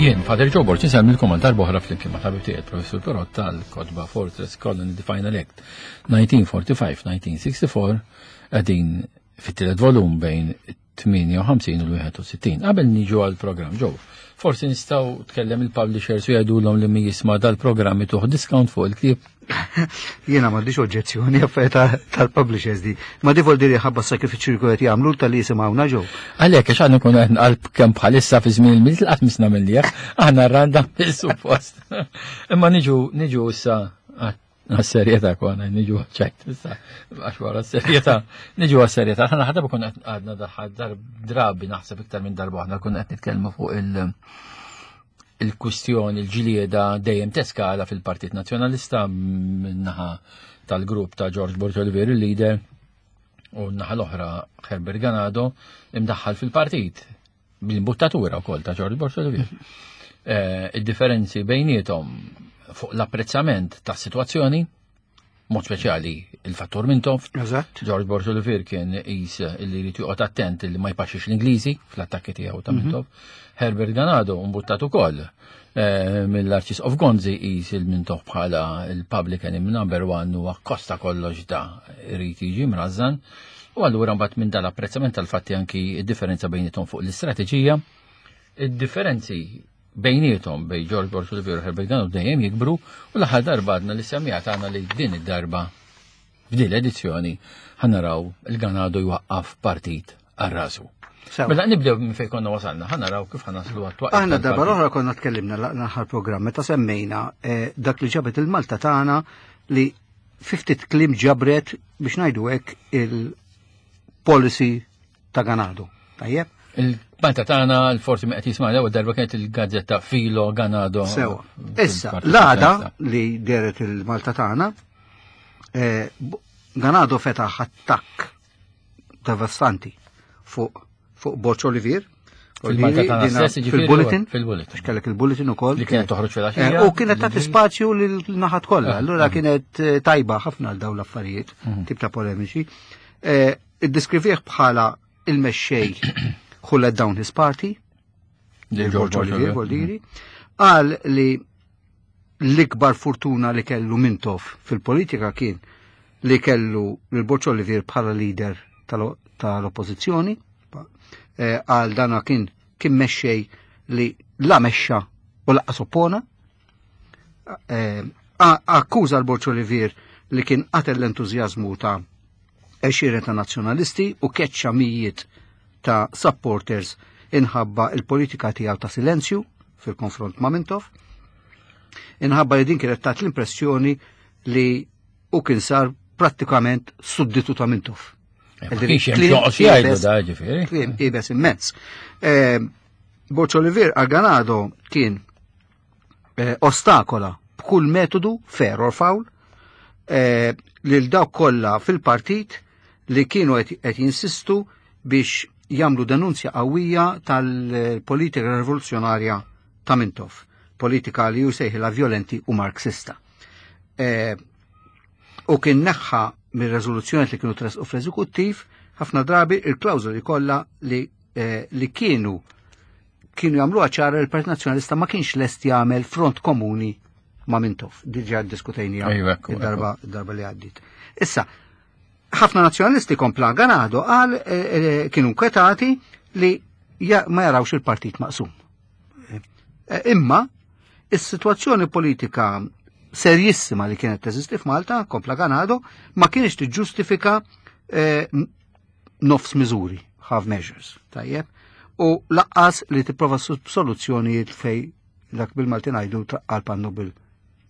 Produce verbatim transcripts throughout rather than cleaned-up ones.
Jien, Father Joe Borg, insellmilkom għal darb'oħra flimkien ma' tabib tiegħi Professur Perott tal-kotba Fortress Colony The Final Act nineteen forty-five-nineteen sixty-four, qegħdin fit-tielet volum bejn tmienja u ħamsin u l-wieħed u sittin. Qabel niġu għal-programm, Joe, forsi nistgħu tkellem il-publishers u jgħidulhom li min jisma' dal-programm ituh discount fuq il-ktieb. Jiena m'għandix oġġezzjoni affarijiet tal-publishers di. Ma di vuol ħabba sakrifiċċju li qed jagħmlu tal-li jisimgħuna ġew. Għalhekk għax għandna nkunu qed nqalb kemm bħalissa fi żmien il-Milied qatt misna mill aħna randa suppost. Imma niġu niġu issa għas-serjetà kwana, niġu ċajt, issa, għax wara s-serjetà, niġu għas-serjetà. Aħna ħadda kun għadna daħħal drabi, naħseb iktar minn darba aħna kun qed nitkellmu fuq il- il-kwistjoni, il-ġlieda dejjem teskala fil-Partit Nazzjonalista minnaħa tal-grupp ta' George Borg Olivier, il-leader, u naħa l-oħra Herbert Ganado, imdaħħal fil-partit bil-imbuttatura wkoll ta' George Borg Olivier. Eh, id-differenzi bejniethom fuq l-apprezzament ta' situazzjoni, mod speċjali il-fattur Mintoff. Eżatt. George Borg Olivier kien qis illi jrid joqgħod attent illi ma jpaxxix l-Ingliżi fl-attakki tiegħu ta' mhm. Mintoff. Herbert Ganado mbuttat ukoll eh, mill-Arċisqof Gonzi qis il-Mintoff bħala il-public enemy number one u akkosta kollox da irid jiġi mrażżan. U allura mbagħad minn dal-apprezzament tal-fatti anki id-differenza bejniethom fuq l-istrateġija, id-differenzi bejniethom bejn George Borg Olivier u Herbert Ganado dejjem jikbru, u l-aħħar darba għadna li semmijat għandna li din id-darba, f'din l-edizzjoni, ħa naraw il-Ganado jwaqqaf partit għal rasu. Mela nibdew minn fejn konna wasalna, ħa naraw kif ħa naslu għat Aħna darba l-oħra konna tkellimna l-aħħar programm meta semmejna eh, dak li ġabet il-Malta tagħna, li fifty kliem ġabret, biex ngħidu hekk, il-policy ta' Ganado. Tajjeb? Il-Malta tagħna, l-forsi ma qed jisma' l-ewwel darba, kienet il-gazzetta Filo Ganado. Sewa. Issa, l-għada li deret il-Malta tagħna, eh, Ganado fetaħ attakk devastanti fuq fuq Borg Olivier. Fil-Malta tagħna stess, ġifieri, fil-bulletin. Fil-bulletin. Għax kellek il-bulletin ukoll. Li kienet toħroġ fil-għaxija. Eh, u kienet tagħti spazju lil naħat kollha. Ah, Allura ah. kienet eh, tajba ħafna għal dawn l-affarijiet, Mhm. tip ta' polemiċi. Eh, Iddiskrivih bħala il-mexxej who let down his party, Lil George Olivier Voldiri, qal li l-ikbar fortuna li kellu Mintoff fil-politika kien li kellu lil Borg Olivier bħala leader tal- tal-oppożizzjoni, eh, għal dana kien kien mexxej li la mexxa u lanqas oppona, Eh, a- akkuża l-Borg Olivier li kien qatel l-entużjażmu ta' għexieren ta' nazzjonalisti u keċċa mijiet ta' supporters inħabba il-politika tiegħu ta' silenzju fil-konfront ma' Mintoff, inħabba li din kienet tat l-impressjoni li u kien sar prattikament sudditu ta' Mintoff. Eh, ma kienx hemm x'joqgħod jgħidu da, ġifieri. Kliem iebes immens. Eh, Borg Olivier għal Ganado kien eh, ostakola b'kull metodu, fair or foul, eh, lil dawk kollha fil-partit li kienu qed qed jinsistu biex jagħmlu denunzja qawwija tal-politika rivoluzzjonarja ta' Mintoff, politika li hu sejħilha violenti u marxista. Eh, u kien neħħa mir-reżoluzzjoni li kienu tresqu fl-eżekuttiv ħafna drabi il-klawżoli kollha li, eh, li kienu kienu jagħmluha ċara li l-Partit Nazzjonalista ma kienx lest jagħmel front komuni ma' Mintoff. Diġà ddiskutejniha Ejwa, ekku, id-darba id-darba li għaddit. Issa, ħafna nazzjonalisti, kompla Ganado, qal eh, eh, kienu nkwetati li ja, ma jarawx il-partit maqsum. Eh, Imma, is-sitwazzjoni politika serjissima li kienet teżisti f'Malta, kompla Ganado, ma kienx tiġġustifika eh, nofs miżuri, half measures, tajjeb, u lanqas li tipprova soluzzjonijiet fej dak bil-Malti ngħidu traqqal pannu bil-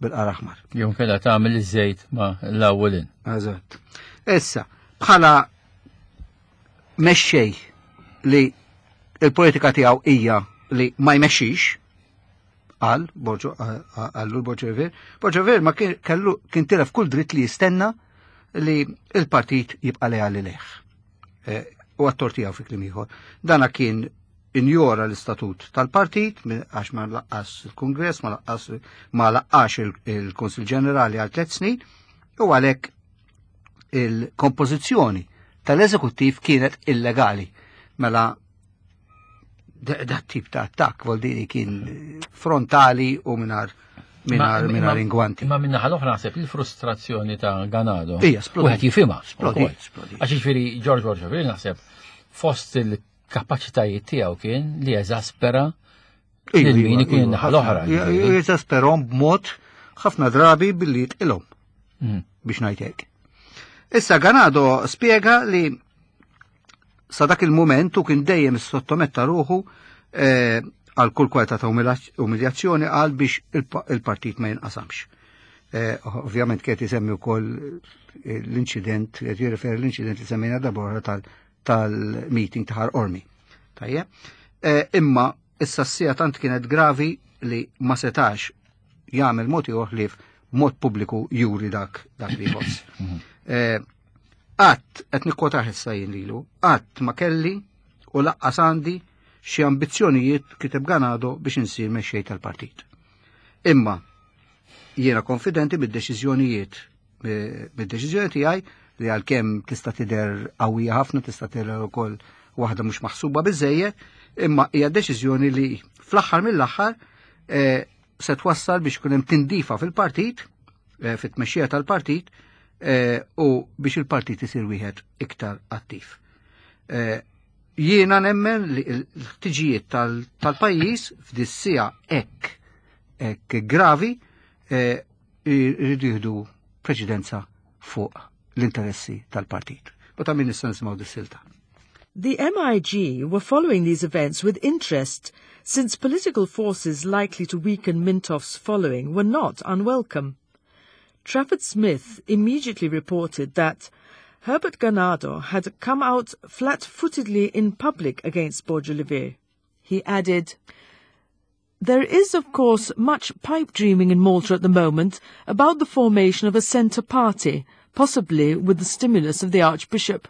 bil-qar aħmar. Jew kellha tagħmel iż-żejt ma l-ewwelin. Eżatt. Issa, bħala mexxej li il-politika tiegħu hija li ma jmexxix, qal Borġo għallu l-Borg Olivier, Borg Olivier ma kien kellu kien tilef kull dritt li jistenna li il-partit jibqa' leali lejh. Eh, U għat-tort tiegħu, fi kliem ieħor. Dana kien injora l-istatut tal-partit mi- għax ma laqqax il-Kongress, ma laqqax ma laqqax il- il-Konsil Ġenerali għal tliet snin u għalhekk il-kompożizzjoni tal-eżekuttiv kienet illegali. Mela Da tip ta' attakk voldiri kien frontali u mingħajr mingħajr mingħajr ingwanti. Ma min-naħa l-oħra naħseb il-frustrazzjoni ta' Ganado. Ija, splodiet. Wieħed jifhimha. Splodiet, ukoll. Splodiet. Għax jiġifieri George Borg Olivier naħseb fost il-kapaċitajiet tiegħu kien li jeżaspera lil min ikun in-naħa l-oħra. Ġifieri. Jeżasperhom b'mod ħafna drabi billi jitqilhom Mm. biex ngħid hekk. Issa Ganado spjega li sa dak il-moment u kien dejjem sottometta ruħu eh, għal kull kwalità ta' umiljazzjoni għal biex il-pa- il-partit ma jinqasamx. Eh, Ovvjament kien isemmi wkoll eh, l-inċident, qed jirreferi l-inċident li semmejna darbora tal-meeting ta' Ħal Qormi. Tajjeb. Eh, Imma issa s-siegħa tant kienet gravi li ma setax jagħmel mod ieħor li mod pubbliku juri dak dak li jħoss. Eh, Qatt, qed nikkwotah issa jien lilu, qatt ma kelli u lanqas għandi xi ambizzjonijiet, kiteb Ganado, biex insir mexxej tal-partit. Imma jiena konfidenti bid-deċiżjonijiet eh, bid-deċiżjoni tiegħi li għalkemm tista' tidher qawwija ħafna, tista' tidher ukoll waħda mhux maħsuba biżejjed, imma hija deċiżjoni li fl-aħħar mill-aħħar eh, se twassal biex ikun hemm tindifa fil-partit, eh, fit-tmexxija tal-partit, eh, u biex il-partit isir wieħed iktar attiv. Eh, Jiena nemmen li l-ħtiġijiet tal- tal-pajjiż f'dis-siegħa hekk hekk gravi eh, jridu jieħdu preċedenza fuq l-interessi tal-partit. U ta' min issa nisimgħu dis-silta. The M I G were following these events with interest, since political forces likely to weaken Mintoff's following were not unwelcome. Trafford Smith immediately reported that Herbert Ganado had come out flat-footedly in public against Borg Olivier. He added, "There is, of course, much pipe dreaming in Malta at the moment about the formation of a centre party, possibly with the stimulus of the Archbishop.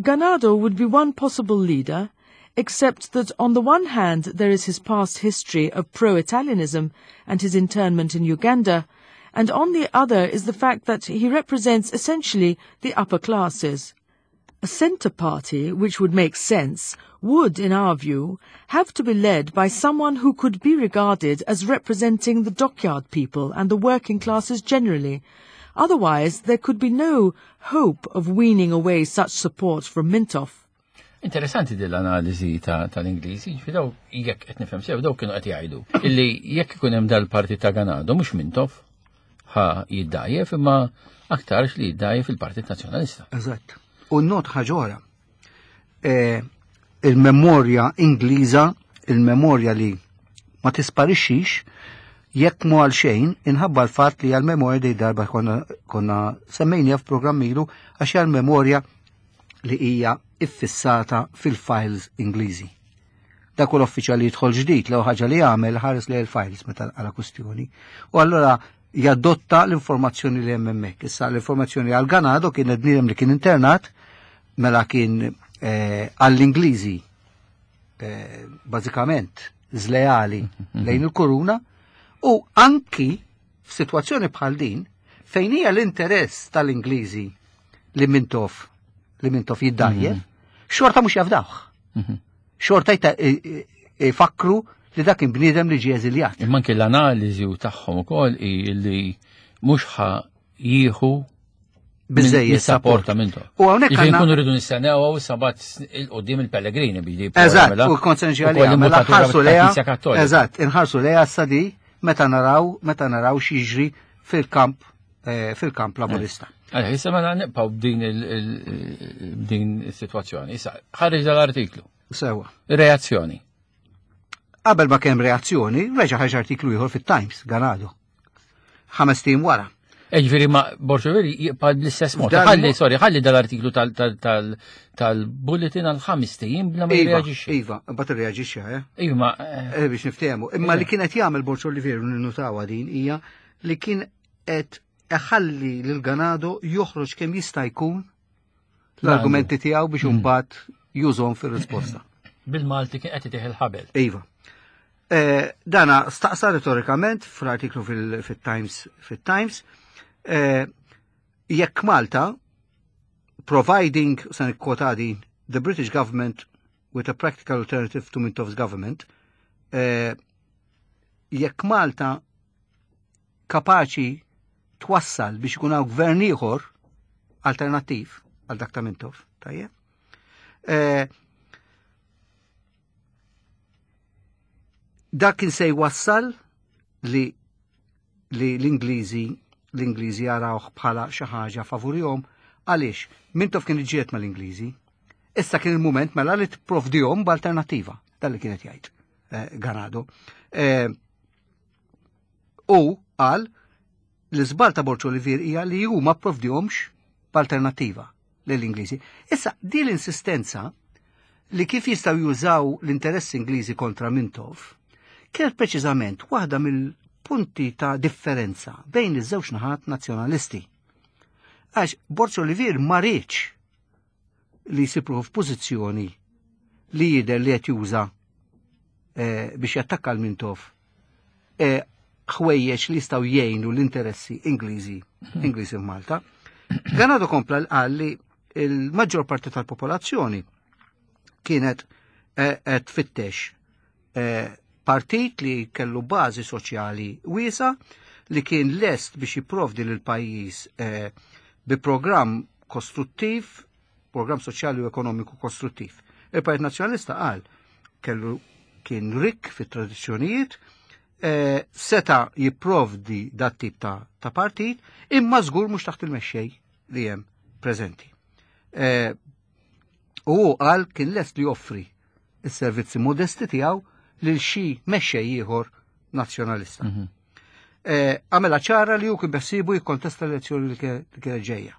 Ganado would be one possible leader, except that on the one hand there is his past history of pro-Italianism and his internment in Uganda, and on the other is the fact that he represents essentially the upper classes. A centre party, which would make sense, would, in our view, have to be led by someone who could be regarded as representing the dockyard people and the working classes generally. Otherwise, there could be no hope of weaning away such support from Mintoff." Interessanti din l-analiżi tal-Ingliżi, ġifieri daw jekk qed nifhem sew daw kienu qed jgħidu illi jekk ikun hemm dal-partit ta' Ganado mhux Mintoff ħa jiddajjef imma aktarx li jiddajjef il-Partit Nazzjonalista. Eżatt. U not ħaġa oħra. Eh, il-memorja Ingliża, il-memorja li ma tisparixxix jekk mu għal xejn inħabba l-fatt li għal-memorja di darba konna, konna semmejnija f'programm ilu għax hija l-memorja li hija iffissata fil-files Ingliżi. Dak kull uffiċjal li jidħol ġdid l ħaġa li jagħmel ħares li l-files meta għala kustjoni. U allura jadotta l-informazzjoni li hemm hemmhekk. Issa l-informazzjoni għal Ganado kien bniedem li kien internat mela kien eh, għall-Ingliżi eh, bażikament żleali lejn il-kuruna u anki f'sitwazzjoni bħal din fejn hija l-interess tal-Ingliżi li Mintoff li Mintoff jiddajjef, xorta mhux jafdawh. Xorta jta- i- i- ifakru li dak kien bniedem li ġie eżiljat. Imma anke l-analiżi u tagħhom ukoll hi li mhux ħa jieħu Biżejjed support ta' Mintoff. U hawnhekk Ġifieri għandna- nkunu rridu nistennew hawn sabat il-qudiem il-Pellegrini biex Eżatt, u konsenġi għalija, mela ħarsu leja. Eżatt, inħarsu leja s-sadi meta naraw, meta naraw x'jiġri fil-kamp, eh, fil-kamp laburista. Għalha, issa mela nibqgħu b'din il- il- b'din is-sitwazzjoni. Issa ħareġ dal-artiklu. Sewa. Reazzjoni. Qabel ma kemm reazzjoni, reġa' ħareġ artiklu ieħor fit-Times, Ganado. Ħames tim wara. Ġifieri ma Borg Olivier jibqa' bl-istess mod. F'dan Ħalli, mo- sorry, ħalli dal-artiklu tal- tal- tal- tal-bulletin għal ħames ijiem bla ma Iva, jirreaġixxi. Iva, mbagħad irreaġixxa, eh? Iva, ma eh, Eh, biex niftehmu. Imma li kienet jagħmel Borg Olivier ninnutawa din hija li kien qed iħalli lil Ganado joħroġ kemm jista' jkun l-argumenti tiegħu biex imbagħad jużhom fir-risposta. Bil-Malti kien qed itih il-ħabel. Iva. Eh, dana staqsa retorikament fl-artiklu fil- fil-Times fil-Times eh, jekk Malta, providing, se nikkwota din, the British government with a practical alternative to Mintoff's government, eh, jekk Malta kapaċi twassal biex ikun hawn gvern ieħor alternattiv għal dak ta' Mintoff, tajjeb. Eh, dak kien se jwassal li li l-Ingliżi l-Ingliżi jarawh bħala xi ħaġa favurihom għaliex Mintoff kien iġġieled mal-Ingliżi. Issa kien il-mument mela li tipprovdihom b'alternattiva, dan li kienet jgħid eh, Ganado. Eh, u qal l-iżbal ta' Borg Olivier hija li huma pprovdihomx b'alternattiva lill-Ingliżi. Issa din l-insistenza li kif jistgħu jużaw l-interessi Ingliżi kontra Mintoff kienet preċiżament waħda mill-punti ta' differenza bejn iż-żewġ naħat nazzjonalisti. Għax Borg Olivier ma riedx li jsibruħu f'pożizzjoni li jidher li qed juża eh, biex jattakka l-Mintoff eh, ħwejjeġ li jistgħu jgħinu l-interessi Ingliżi Ingliżi f'Malta. Ganado kompla qal li l-maġġor parti tal-popolazzjoni kienet eh, qed tfittex eh, partit li kellu bażi soċjali wiesa li kien lest biex jipprovdi lil pajjiż eh, bi programm kostruttiv, programm soċjali u ekonomiku kostruttiv. Il-Partit Nazzjonalista qal kellu kien rikk fit-tradizzjonijiet, eh, seta jipprovdi dat tip ta', ta' partit, imma żgur mhux taħt il-mexxej li hemm preżenti. Eh, u hu qal kien lest li joffri is-servizzi modesti tiegħu lil xi mexxej ieħor nazzjonalista. Mhm. Eh, Għamela ċara li hu kien beħsiebu jikkontesta l-elezzjoni li kien- li kienet ġejja.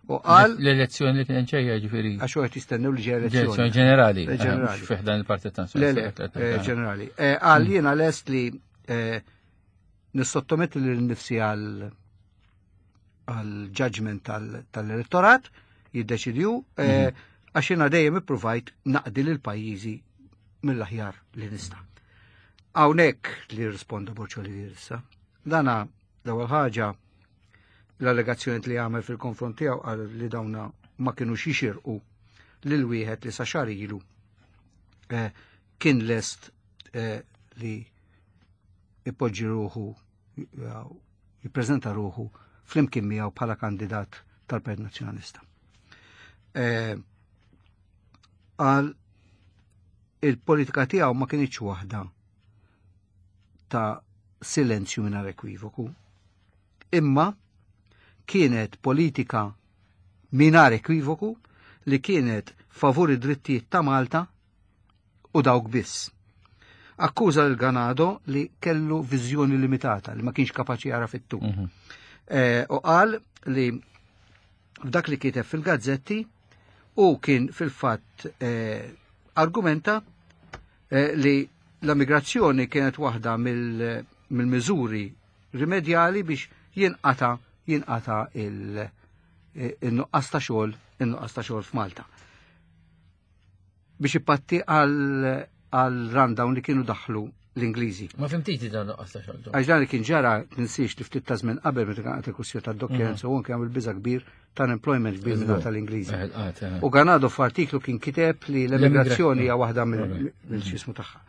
U qal L-elezzjoni li kienet ġejja ġifieri. għax qed jistennew li ġejja Elezzjoni elezzjoni. ġenerali. Eh, ġenerali. Mhux fih dan il-Partit Le, le, eh, ġenerali. Eh, Qal jiena lest li eh, nissottometti lil nifsi għal għal judgment tal- tal-elettorat jiddeċidju eh, għax jiena dejjem ippruvajt naqdi lil pajjiżi mill-aħjar li nista'. Hawnhekk li risponda Borg Olivier issa. Dana l-ewwel ħaġa l-allegazzjoni li għamel fil-konfront tiegħu qal li dawna ma kinux jixirqu lil wieħed li sa xahar ilu eh, kien lest eh, li ipoġġi ruħu jew jippreżenta ruħu flimkien miegħu bħala kandidat tal-Partit Nazzjonalista. Eh, Qal il-politika tiegħu ma kinitx waħda ta' silenzju mingħajr ekwivoku, imma kienet politika mingħajr ekwivoku li kienet favur id-drittijiet ta' Malta u dawk biss. Akkuża lil Ganado li kellu viżjoni limitata, li ma kienx kapaċi jara fit-tul. Mhm. Eh, U qal li f'dak li kiteb fil-gazzetti u kien fil-fatt eh, argumenta eh, li l-immigrazzjoni kienet waħda mill- mill-miżuri rimedjali biex jinqata jinqata il- eh, il-nuqqas ta' xogħol il-nuqqas ta' xogħol f'Malta. Biex ipatti għal għal rundown li kienu daħlu l-Ingliżi. Ma fimtiti dan nuqqas ta' xogħol. Għax dan li kien ġara tinsiex li ftit ta' żmien qabel meta kien il-kwistjoni tad-docklands u anke għamil biża kbir ta' unemployment kbir minn tal-Ingliżi. Eh, il-qat, eh. U Ganado f'artiklu kien kiteb li l-emigrazzjoni hija waħda Alright. mill-xismu tagħha.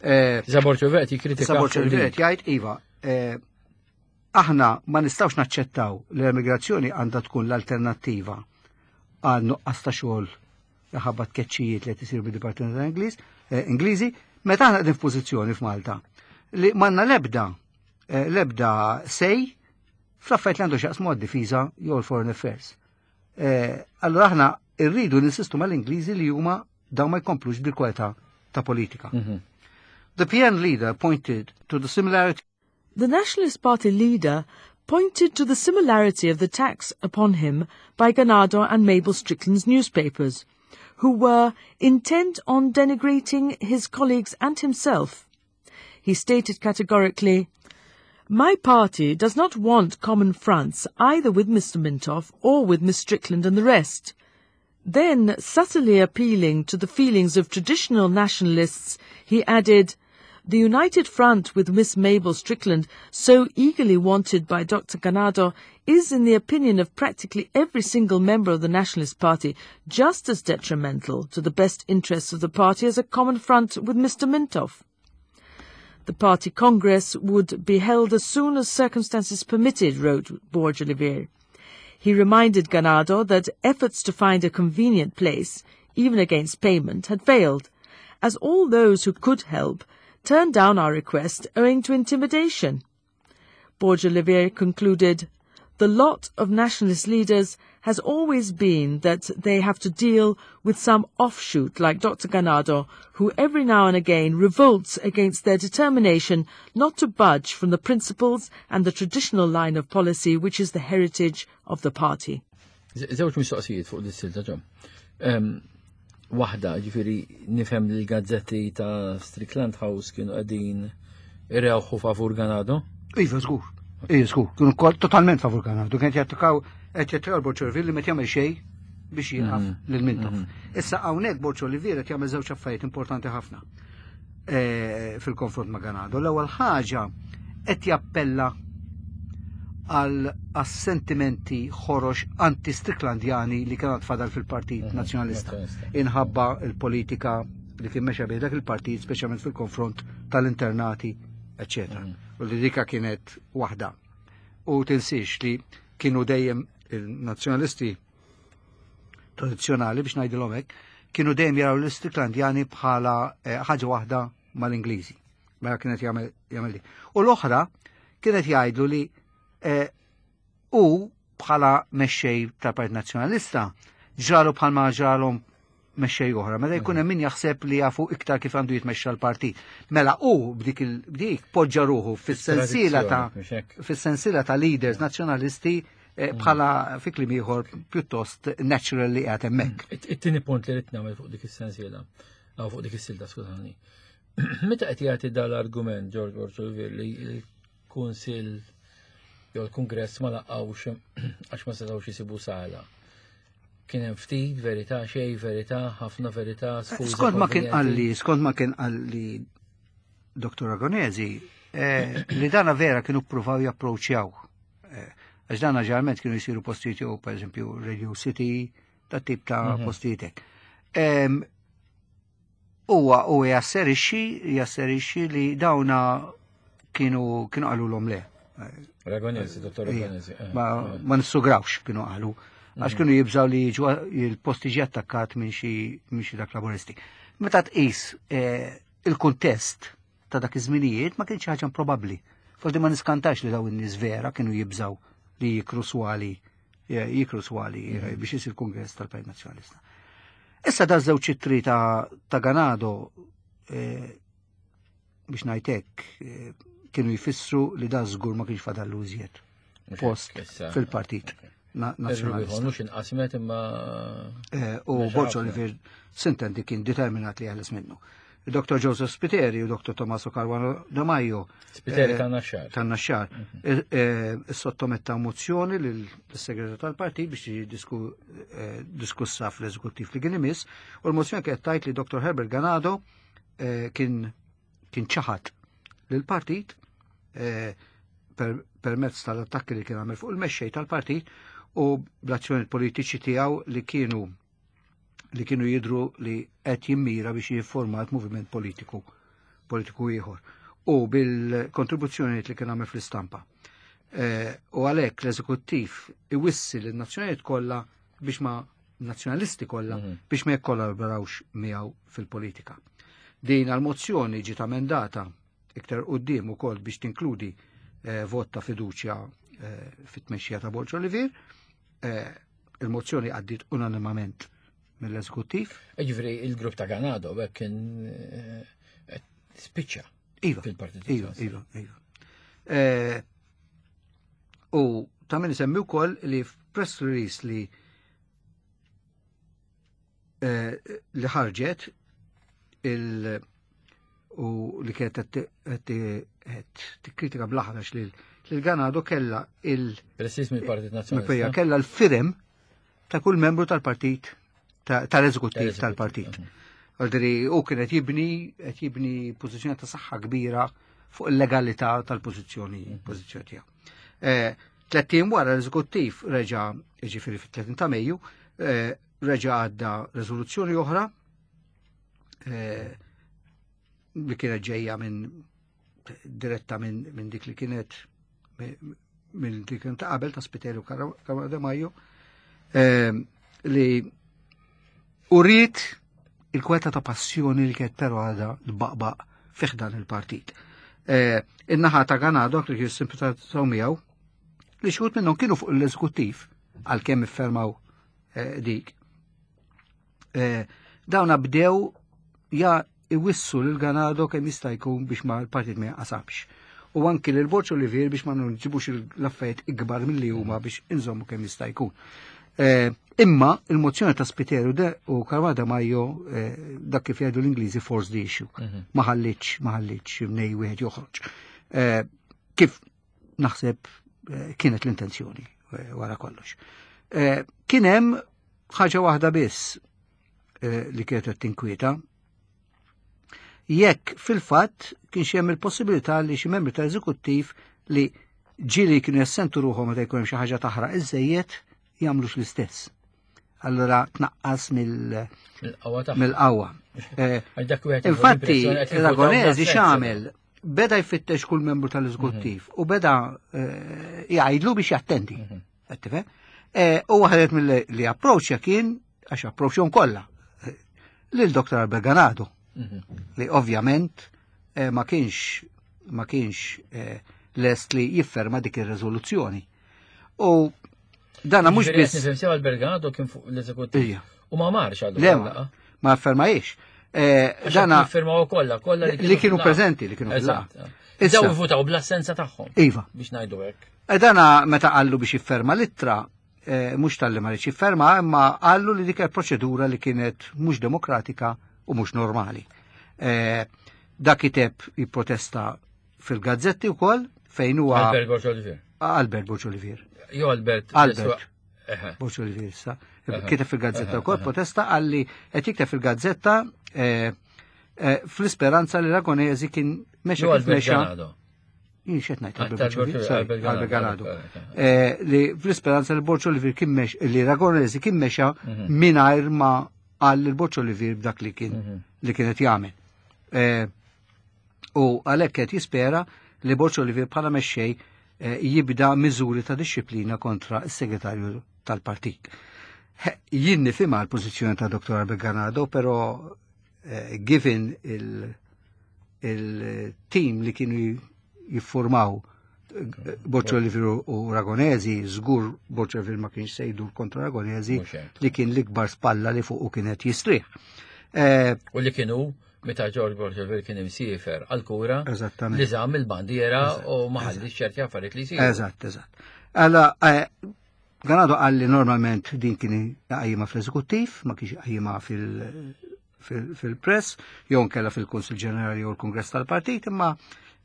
Eh, Borg Olivier jikkritika. Issa Borg Olivier jgħid iva, eh, aħna ma nistgħux naċċettaw li l-emigrazzjoni għandha tkun l-alternattiva għal nuqqas ta' xogħol ħabba tkeċċijiet li qed isiru bid-Dipartiment tal-Ingliż, eh, Ingliżi, meta aħna qegħdin f'pożizzjoni f'Malta li m'għandna l-ebda eh, l-ebda sej fl-affarijiet li għandu x'jaqsmu għad-difiża jew l-foreign affairs. Eh, Allura aħna rridu ninsistu mal-Ingliżi li huma dawn ma jkomplux bil-kwalità ta' politika. Mhm. The P N leader pointed to the similarity The Nationalist Party leader pointed to the similarity of the attacks upon him by Ganado and Mabel Strickland's newspapers, who were intent on denigrating his colleagues and himself. He stated categorically, "My party does not want common fronts either with Mister Mintoff or with Miss Strickland and the rest." Then, subtly appealing to the feelings of traditional nationalists, he added, The united front with Miss Mabel Strickland, so eagerly wanted by Doctor Ganado, is, in the opinion of practically every single member of the Nationalist Party, just as detrimental to the best interests of the party as a common front with Mister Mintoff. The party congress would be held as soon as circumstances permitted, wrote Borg Olivier. He reminded Ganado that efforts to find a convenient place, even against payment, had failed, as all those who could help turned down our request owing to intimidation. Borg Olivier concluded, "The lot of nationalist leaders has always been that they have to deal with some offshoot like Doctor Ganado, who every now and again revolts against their determination not to budge from the principles and the traditional line of policy which is the heritage of the party." Żewġ mistoqsijiet fuq dis-silta ġom. Waħda, ġifieri nifhem li l-gazzetti ta' Strickland House kienu qegħdin irewħu favur Ganado? Iva, żgur. Iva, żgur. Kienu totalment favur Ganado. Kien jattakaw qed jattakaw Borg Olivier li meta jagħmel xejn biex jieqaf lil Mintoff. Issa hawnhekk Borg Olivier qed jagħmel żewġ affarijiet importanti ħafna fil-konfront ma' Ganado. L-ewwel ħaġa qed jappella għal sentimenti ħorox anti-Stricklandjani li kienet fadal fil-Partit Nazzjonalista. Inħabba il-politika li kien mexa bih dak il-partit, speċjalment fil-konfront tal-internati, eccetera. U li dika kienet waħda. U tinsiex li kienu dejjem il-nazzjonalisti tradizzjonali, biex ngħidilhom hekk, kienu dejjem jaraw l-Stricklandjani bħala ħaġa waħda mal-Ingliżi. Mela kienet jagħmel li. U l-oħra kienet jgħidlu li u bħala mexxej tal-Partit Nazzjonalista ġralu bħalma ġralhom mexxej oħra. Mela jkun hemm min jaħseb li jafu iktar kif għandu jitmexxa l-partit. Mela u b'dik b'dik poġġa ruħu fis-sensiela ta' fis-sensiela ta' leaders nazzjonalisti bħala fi kliem ieħor pjuttost natural li qiegħed hemmhekk. It-tieni punt li rid nagħmel fuq dik is-sensiela, aw fuq dik is-silta, skużani. Meta qed jagħti dal-argument George Borg Olivier li l-Kunsill jew l-Kungress ma laqgħux għax ma setgħux isibu sala. Kien hemm ftit verità, xejn verità, ħafna verità, sfuża. Skont ma kien qalli, skont ma kien qalli Doktor Ragonesi, li dana vera kienu ppruvaw japproċċjaw. Għax dana ġeneralment kienu jsiru postijiet jew pereżempju Radio City, ta' tip ta' postijiet hekk. Huwa u jasserixxi, jasserixxi li dawna kienu kienu qalulhom le. Ragonesi, Dottor Ragonesi. Ma nissugrawx kienu qalu. Għax kienu jibżaw li jiġu il-posti ġi attakkat minn xi dak laburisti. Meta tqis il-kuntest ta' dak iż-żminijiet ma kienx ħaġa improbabbli. Forsi ma niskantax li daw in-nies vera kienu jibżaw li jikru swali, jikru swali biex isir kongress tal-Partit Nazzjonalista. Issa da żewġ ittri ta' Ganado biex ngħidlek kienu jfissru li da żgur ma kienx fadallu iżjed post fil-partit nazzjonalista. Mhux inqasmet imma u Borg Olivier sintendi kien determinat li jeħles minnu. Doktor Joseph Spiteri u Doktor Tommaso Caruana De Maio. Spiteri tan-Naxxar. Tan-Naxxar. Sottometta mozzjoni lill-segretarju tal-partit biex tiġi diskussa fl-eżekuttiv li kien imiss, u l-mozzjoni kienet tgħid li Doktor Herbert Ganado kien kien ċaħad lill-partit permezz tal-attakki li kien għamel fuq il-mexxej tal-partit u bl-azzjoni politiċi tiegħu li kienu li kienu jidru li qed jimmira biex jifformat moviment politiku politiku ieħor u bil-kontribuzzjoni li kien għamel fl-istampa. U għalhekk l-eżekuttiv iwissi lin-nazzjonijiet kollha biex ma nazzjonalisti kollha biex ma jikkollaborawx miegħu fil-politika. Din għal-mozzjoni ġiet amendata iktar quddiem ukoll biex tinkludi vot ta' fiduċja fit-tmexxija ta' Borg Olivier. Il-mozzjoni għaddiet unanimament mill-eżekuttiv. Ġifieri il-grupp ta' Ganado hekk kien spiċċa fil-Partit Iva, iva, iva. U ta' min isemmi wkoll li f'press release li li ħarġet il u li kienet qed tikkritika bl-aħrax lil Ganado kellha il Precis mill-Partit Nazzjonalista. Kellha l-firem ta' kull membru tal-partit tal-eżekuttiv tal-partit. Għaldri u kien qed jibni qed jibni pożizzjoni ta' saħħa kbira fuq il-legalità tal-pożizzjoni pożizzjoni tiegħu. Eh, Tlett ijiem wara l-eżekuttiv reġa' jiġifieri fit-tletin ta' Mejju, eh, reġa' għadda riżoluzzjoni oħra eh, li kienet ġejja minn diretta minn min dik li kienet minn dik ta' qabel ta' Spiteri u Caruana De Majo, eh, li uriet il-kweta ta' passjoni li kienet però għadha tbaqbaq fi ħdan il-partit. Eh, In-naħa ta' Ganado, li kienu simpatizzaw miegħu, li xi wħud minnhom kienu fuq l-eżekuttiv għalkemm iffirmaw eh, dik. Eh, Dawna bdew ja iwissu lil Ganado kemm jista' jkun biex ma l-partit ma jaqasamx. U anki lil Borg Olivier biex ma nġibux l-affarijiet ikbar milli huma biex inżommu kemm jista' jkun. Eh, Imma il-mozzjoni ta' Spiteri de u Caruana Demajo eh, dak kif jgħidu l-Ingliżi force the issue. Ma ħallitx, ma ħallitx mnej wieħed joħroġ. Eh, Kif naħseb eh, kienet l-intenzjoni eh, wara kollox. Eh, Kien hemm ħaġa waħda biss eh, li kienet qed tinkwieta. Jekk fil-fatt kien hemm il-possibilità li xi membri tal-eżekuttiv li ġieli kienu jassentu ruħhom meta jkun hemm xi ħaġa taħraq iżejjed jagħmlux l-istess. Allura tnaqqas mill- Mill-qawwa tagħha. mill-qawwa. Eh, Għax dak wieħed jieħu Infatti, l-impressjoni qed jivvutaw Ragonesi bl-assenza. x'għamel beda jfittex kull membru tal-eżekuttiv u beda eh, jgħidlu biex jattendi. Qed tifhem? Eh, U waħdet mill li approċċja kien, għax approċċjahom kollha, eh, lil Dr. Albert Ganado, Mhm. li ovvjament eh, ma kienx ma kienx eh, lest li jifferma dik ir-riżoluzzjoni. U dana mhux Jiġifieri qed biss nifhem sew Albert Ganado kien fuq l-eżekuttiv. Ija. U ma marx għallu. Le, ma- ma affermajiex. Eh, Dana firmaw kollha, kollha li kienu fil-laqgħa. preżenti, li kienu Eżatt. fil-laqgħa. Issa- Daw votaw bl-assenza tagħhom. Iva. Biex ngħidu hekk. E Dana meta qallu biex jifferma l-ittra, eh, mhux talli ma jifferma, imma qallu li dik il-proċedura li kienet mhux demokratika u mhux normali. Eh, Da kiteb jipprotesta fil-gazzetti wkoll fejn huwa Albert Borg Olivier. Albert Borg Olivier. Jo Albert. Albert. Eħe. Borg Olivier issa. Aha. Kiteb fil-gazzetta Aha, wkoll aha. protesta għalli qed jikteb fil-gazzetta eh, eh, fl-isperanza li Ragonesi kien mexa Jo kif Albert mexa. Ganado. Jien x'qed ngħid Ah, Albert tal- Borg Olivier, sorry, Albert Albert Ganado. Ganado. Eh, Li fl-isperanza li Borg Olivier kien mex li Ragonesi kien mexa Mhm. mingħajr ma qal lil Borg Olivier b'dak li kien Mhm. li kienet jagħmel. Eh, U għalhekk qed jispera li Borg Olivier bħala mexxej eh, jibda miżuri ta' disċiplina kontra s-segretarju tal-partit. He, Jien nifhimha l-pożizzjoni ta' Dr. Albert Ganado, però eh, given il- il-team li kienu jiffurmaw eh, Borg Olivier u Ragonesi, żgur Borg Olivier ma kienx se jdur kontra Ragonesi Mhux hekk. li kien l-ikbar spalla li fuq u kienet jistrieħ. Eh, U li kienu meta George Borg Olivier kien imsiefer għal-kura Eżattament. li żamm il-bandiera u ma ħallix ċerti affarijiet li jsiru. Eżatt, eżatt. Alla, eh, Ganado qal li normalment din kien jqajjimha fl-eżekuttiv, ma kienx jqajjimha fil- fil- fil-press, jew nkella fil-Kunsil Ġenerali jew l-Kongress tal-Partit, imma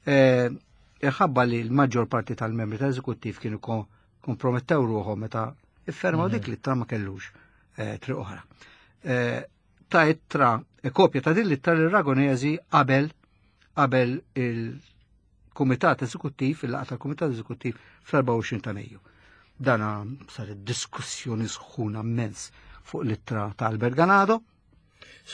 eh, ħabba li l-maġġor parti tal-membri tal-eżekuttiv kienu ko- kompromettew ruħhom meta iffermaw dik l-ittra ma kellux eh, triq oħra. Eh, Ta' ittra, eh, kopja ta' din l-ittra li Ragonesi qabel qabel il-Kumitat Eżekuttiv, il-laqgħa tal-Kumitat Eżekuttiv fl-erbgħa u għoxrin ta' Mejju. Dana saret diskussjoni sħuna immens fuq l-ittra ta' Albert Ganado.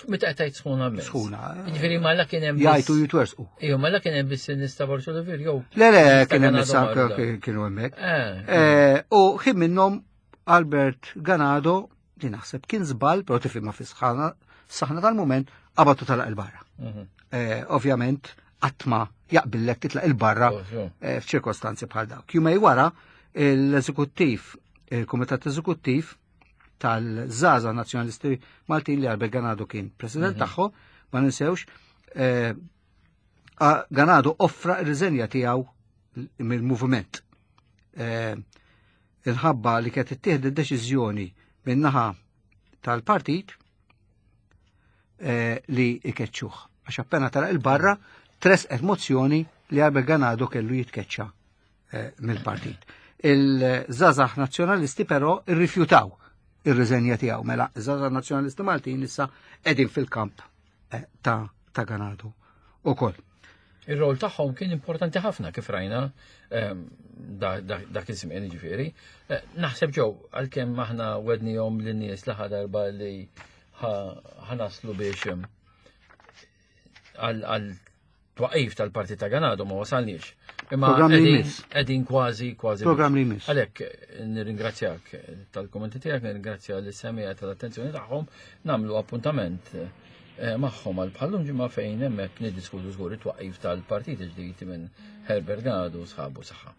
Meta qed tgħid sħuna immens. Sħuna. Jiġifieri ma la kien hemm biss- Jgħajtu jitwersqu. Ejju, ma la kien hemm biss in-nies ta' Borg Olivier jew. Le, le, Nies ta' kien hemm Ganado issa marda. kienu hemmhekk. Eh, Eh, U ħin minnhom Albert Ganado, li naħseb kien żball, però tifhimha fi sħana, saħna tal-mument, qabatu talaq il-barra. mhm. Eh, Ovvjament, qatt ma jaqbillek titlaq il-barra Oh, so. eh, f'ċirkostanzi bħal dawk. Jumejn wara l-eżekuttiv, il-Kumitat Eżekuttiv tal-Żgħażagħ Nazzjonalisti Maltin li Albert Ganado kien president tagħhom, ma ninsewx, eh, a- Ganado offra r-riżenja tiegħu mill-moviment. Eh, Inħabba li kienet ittieħed id-deċiżjoni min-naħa tal-partit eh, li ikeċċuh. Għax appena tara il-barra tresqet mozzjoni li Albert Ganado kellu jitkeċċa eh, mill-partit. Il-żgħażagħ nazzjonalisti però irrifjutaw ir-riżenja tiegħu. Mela, iż-żgħażagħ nazzjonalisti Maltin issa qegħdin fil-kamp eh, ta' ta' Ganado ukoll. Ir-rol tagħhom kien importanti ħafna kif rajna ehm, dak iż-żmien ġifieri. Eh, naħseb ġew għalkemm aħna wegħednihom lin-nies l darba li ħa naslu biex ehm, għal twaqif tal-partit ta' Ganado ma wasalniex. Imma qegħdin kważi kważi. Program li jmiss. Għalhekk nirringrazzjak tal-kommenti tiegħek, nirringrazzja lis-semmiegħa tal-attenzjoni tagħhom, nagħmlu appuntament eh, magħhom għal bħal-lum ġimgħa fejn hemmhekk niddiskutu żgur it-twaqif tal-partit ġdid minn Herbert Ganado u sħabu saħħa.